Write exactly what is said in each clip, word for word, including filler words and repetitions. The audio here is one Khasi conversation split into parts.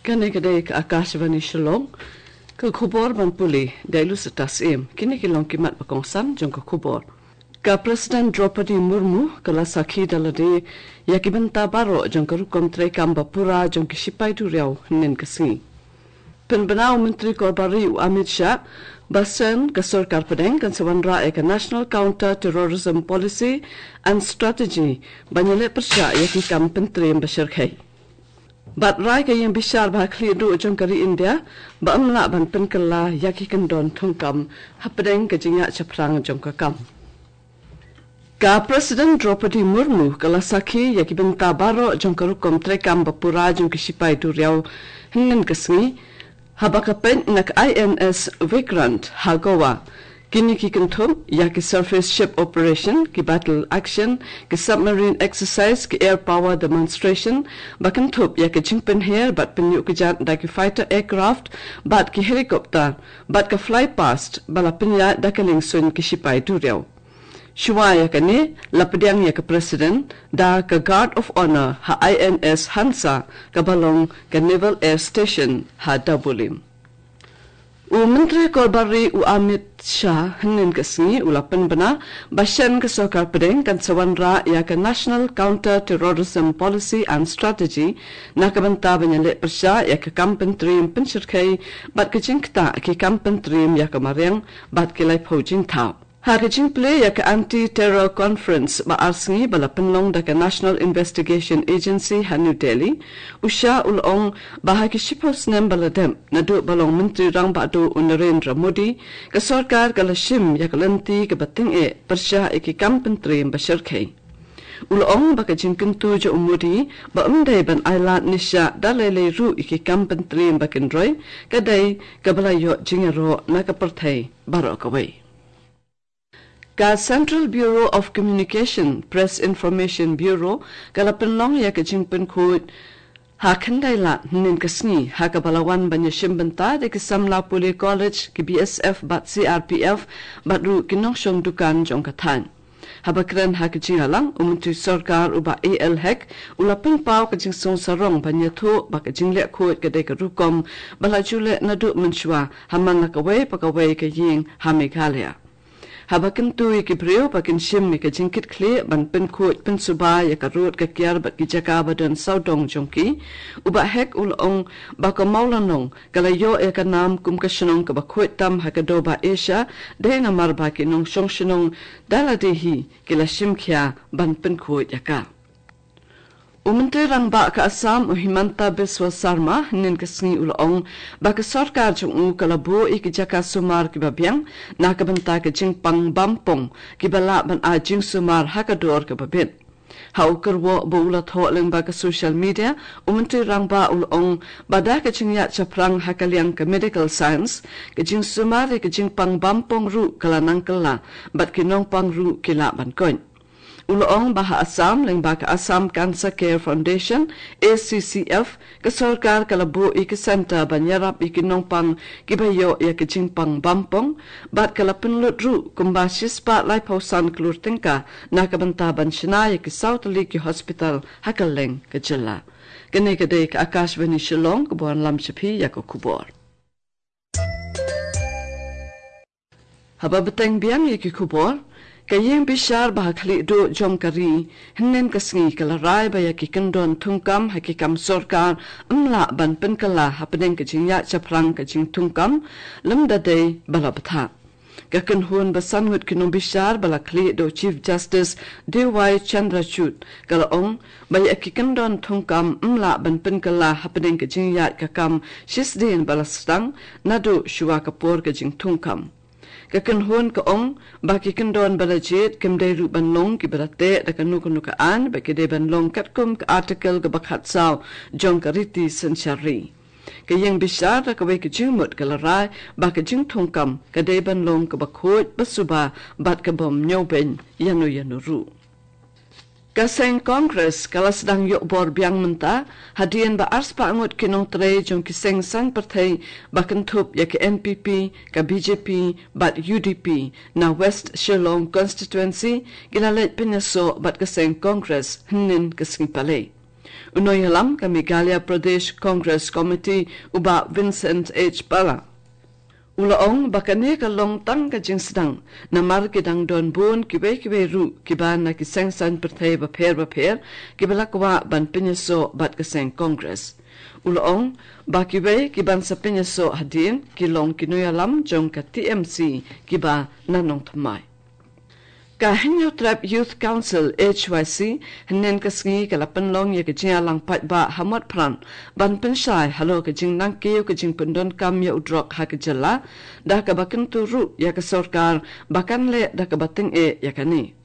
Kane ka dei ka Akashvani Shillong. Ka khubor ban pule da i Lusita Syiem. Kine ki long ki mat ba kongsan jong ka khubor. Ka President Draupadi Murmu ka la sakhi da lade ïa ki bynta baroh jong ka rukom treikam ba pura jong ki shipai duriaw hynnin ka sngi. Pynbna u Myntri Korbar Ri u Amit Shah ba shen ka sorkar pdeng kan sa wanrah ïa ka National Counter Terrorism Policy and Strategy ban ïaleh pyrshah ïa ki kam pyntriem ba shyrkhei. Bad rai ka ïing bishar ba ha khlieh duh jong ka ri India ba ym lah ban pynkylla ïa ki kyndon thungkam hapdeng ka jingïaid shaphrang jong ka kam. Ka President Draupadi Murmu ka la sakhi ïa ki bynta baroh jong ka rukom treikam ba pura jong ki shipai duriaw hynnin ka sngi haba ka peit na ka I N S Vikrant ha Goa. Kine ki kynthup ïa ki surface ship operation, ki battle action, ki submarine exercise, ki air power demonstration, ba kynthup ïa ki jingpynher bad pynïuh kjat da ki fighter aircraft bad ki helicopter, bad ka fly past ba la pynïaid da ka liengsuiñ ki shipai duriaw. Shuwa ïa kane, la pdiang ïa ka President da ka Guard of Honor ha I N S Hansa, kaba long ka Naval Air Station ha Dabolim. U Myntri Korbar Ri u Amit Shah hynnin ka sngi u la pynbna ba shen ka sorkar pdeng kan sa wanrah ïa ka National Counter Terrorism Policy and Strategy na ka bynta ban ïaleh pyrshah ïa ka kam pyntriem pynshyrkhei bad ka jingktah ki kam pyntriem ïa ka mariang bad ki laiphew jingthaw. Ha ka jingplie ïa ka Anti-Terror Conference ba ar sngi ba la pynlong da ka National Investigation Agency ha New Delhi, u Shah u la ong ba ha ki shiphew snem ba la dep, naduh ba long Myntri Rangbah Duh u Narendra Modi, ka sorkar ka la shim ïa ka lynti kaba tyngeh pyrshah ïa ki kam pyntriem ba shyrkhei. U la ong ba ka jingkyntu jong u Modi ba ym dei ban ailad nisha da lei lei ruh ïa ki kam pyntriem ba kynroi, ka dei kaba la ïoh jingïaroh na ka pyrthei baroh kawei. Ka Central Bureau of Communication, Press Information Bureau, ka la pynlong ïa ka jingpynkhuid ha Khyndailad hynnin ka sngi, ha kaba la wan ban ïashim bynta da ki samla pule college, ki B S F bad C R P F, bad ruh ki nongshong dukan jong ka thaiñ. Haba kren ha ka jingïalang, u Myntri Sorkar u Bah A L Hek u la pynpaw ka jingsngewsarong ban ïathuh ba ka jingleh khuid ka dei ka rukom ba la ju leh naduh mynshuwa ha man la kawei pa kawei ka ïing ha Meghalaya. Haba kyntu ïa ki briew ba kin shim ïa ka jingkitkhlieh ban pynkhuid pynsuba ïa ka rud ka kiar bad ki jaka ba don sawdong jong ki, u Bah Hek u la ong ba ka Mawlynnong ka la ïoh ïa ka nam kum ka shnong kaba khuid tam ha ka Dorbar Asia, dei namar ba ki nongshong shnong da lade hi ki la shim khia ban pynkhuid ïa ka. U Myntri Rangbah ka Assam u Himanta Biswa Sarma hynnin ka sngi u la ong ba ka sorkar jong u ka la buh ïa ki jaka sumar kiba biang na ka bynta ka jingpang bampong kiba lah ban ai jingsumar ha ka dor kaba bit. Ha u kyrwoh ba u la thoh lyngba ka social media, u Myntri Rangbah u la ong ba da ka jingïaid shaphrang ha ka liang ka medical science, ka jingsumar ïa ka jingpang bampong ruh ka la nang kylla bad ki nongpang ruh ki lah ban koit. U la ong ba ha Assam lyngba ka Assam Cancer Care Foundation, A C C F, ka sorkar ka la buh ïa ki centre ban ïarap ïa ki nongpang kiba ïoh ïa ka jingpang bampong, bad ka la pynlut ruh kumba shispah laiphew san klur tyngka na ka bynta ban shna ïa ki saw tylli ki hospital ha kylleng ka jylla. Kane ka dei ka Akashvani Shillong kaba wanlam sha phi ïa ka khubor. Haba bteng biang ïa ki khubor, ka ïing bishar ba ha khlieh duh jong ka ri hynnin ka sngi ka la rai ba ïa ki kyndon thungkam ha ki kam sorkar ym lah ban pynkylla hapdeng ka jingïaid shaphrang ka jingthungkam lymda dei ba la bthah. Ka kynhun ba san ngut ki nongbishar ba la khlieh da u Chief Justice D Y Chandrachud ka la ong ba ïa ki kyndon thungkam ym lah ban pynkylla hapdeng ka jingïaid ka kam shisdien ba la sdang naduh shuwa ka por ka jingthungkam. Ka kynhun ka ong ba ki kyndon ba la jied kim dei ruh ban long kiba la teh da kano kano ka aiñ, ba ki dei ban long katkum ka Article kaba khatsaw jong ka riti synshar ri. Ka ïing bishar da kawei ka jingmut ka la rai ba ka jingthungkam ka dei ban long kaba khuid, ba suba bad ka bym ñiewbeiñ ïano ïano ruh. Ka seng Congress ka la sdang ïoh bor biang mynta hadien ba arspah ngut ki nongtrei jong ki seng saiñ pyrthei ba kynthup ïa ka N P P, ka B J P bad U D P na West Shillong Constituency ki la leit pynïasoh bad ka seng Congress hynnin ka sngi Palei. U nongïalam ka Meghalaya Pradesh Congress Committee, u Bah Vincent H Pala, u la ong ba kane ka long tang ka jingsdang, namar ki dang don bun kiwei kiwei ruh kiba na ki seng saiñ pyrthei bapher bapher kiba la kwah ban pynïasoh bad ka seng Congress. U la ong ba kiwei kiban sa pynïasoh hadien ki long ki nongïalam jong ka T M C kiba na nongthymmai. Ka Hynñiewtrep Youth Council, H Y C, hynnin ka sngi ka la pynlong ïa ka jingïalang paidbah ha Motphran ban pynshai halor ka jingnangkiew ka jingpyndonkam ïa u drok ha ka jylla, da kaba kyntu ruh ïa ka sorkar ba kan leh da kaba tyngeh ïa kane.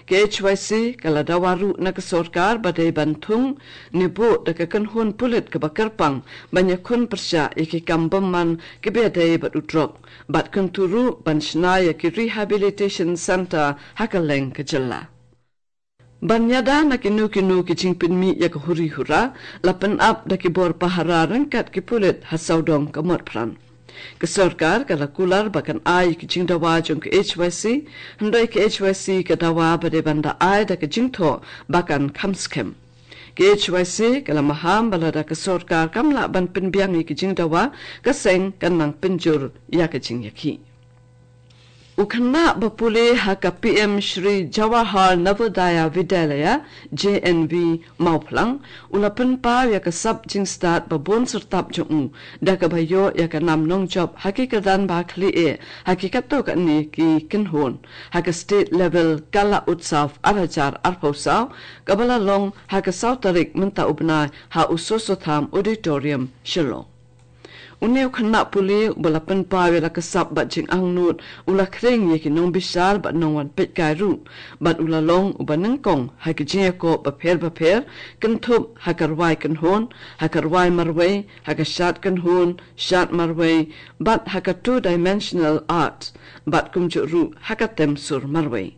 Ka H Y C ka la dawa ruh na ka sorkar ba dei ban thung ne buh da ka kynhun pulit kaba kyrpang ban ïakhun pyrshah ïa ki kam bymman kiba ïadei bad u drok, bad kyntu ruh ban shna ïa ki rehabilitation centre ha kylleng ka jylla. Ban ïada na kino kino ki jingpynmih ïa ka huri hura, la pynap da ki bor pahara ryngkat ki pulit ha sawdong ka Motphran. Ka sorkar ka la kular ba kan ai ki jingdawa jong ka H Y C, hynrei ka H Y C ka dawa ba dei ban da ai da ka jingthoh ba kan kham skhem. Ka H Y C ka la maham ba lada ka sorkar kam lah ban pynbiang ïa ki jingdawa, ka seng kan nang pynjur ïa ka jingïakhih. U khynnah ba pule ha ka P M Shri Jawahar Navodaya Vidyalaya, J N V, Mawphlang, u la pynpaw ïa ka sap jingstad ba bun syrtap jong u da kaba ïoh ïa ka nam nongjop ha ki kyrdan ba khlieh ha ki katto katne ki kynhun, ha ka state level Kala Utsav ar hajar arphew saw, kaba la long ha ka saw tarik mynta u bnai ha u Soso Tham Auditorium, Shillong. Une u khynnah pule uba la pynpaw ïa la ka sap bad jingangnud, u la khring ïa ki nongbishar bad nongwan peitkai ruh, bad u la long uba nyngkong ha ki jingïakob bapher bapher, kynthup ha ka rwai kynhun, ha ka rwai marwei, ha ka shad kynhun, shad marwei, bad ha ka two dimensional art, bad kumjuh ruh ha ka tem sur marwei.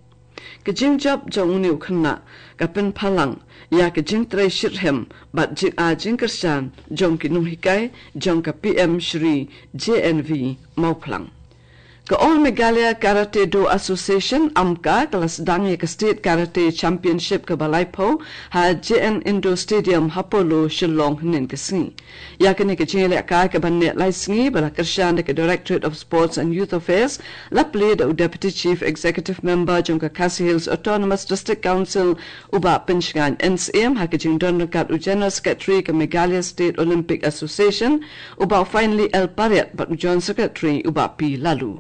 Ka jingjop jong une u khynnah ka pynphalang ïa ka jingtrei shitrhem bad jingai jingkyrshan jong ki nonghikai jong ka P M Shri J N V Mawphlang. Ka All Meghalaya Karate Do Association, AMKA, ka la sdang ïa ka State Karate Championship kaba laiphew ha J N Indoor Stadium ha Polo, Shillong, hynnin ka sngi. Ïa kane ka jingïalehkai kaban neh lai sngi ba la kyrshan da ka Directorate of Sports and Youth Affairs, la plie da u Deputy Chief Executive Member jong ka Khasi Hills Autonomous District Council, u Bah Pynshngaiñ N C M, ha ka jingdon ryngkat u General Secretary ka Meghalaya State Olympic Association, u Bah Finely L Pariat, bad u Joint Secretary u Bah P Laloo.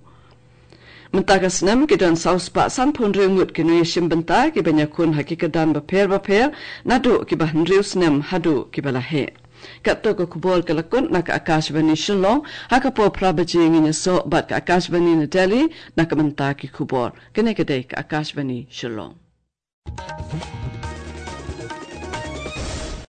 Mynta ka snem ki don saw spah sanphew hynriew ngut ki nongïashim bynta kiban ïakhun ha ki kyrdan bapher bapher, naduh kiba hynriew snem haduh kiba la heh. Katto ka khubor ka la kut na ka Akashvani Shillong, ha ka por phra baje ngin ïasoh bad ka Akashvani na Delhi na ka bynta ki khubor. Kane ka dei ka Akashvani Shillong.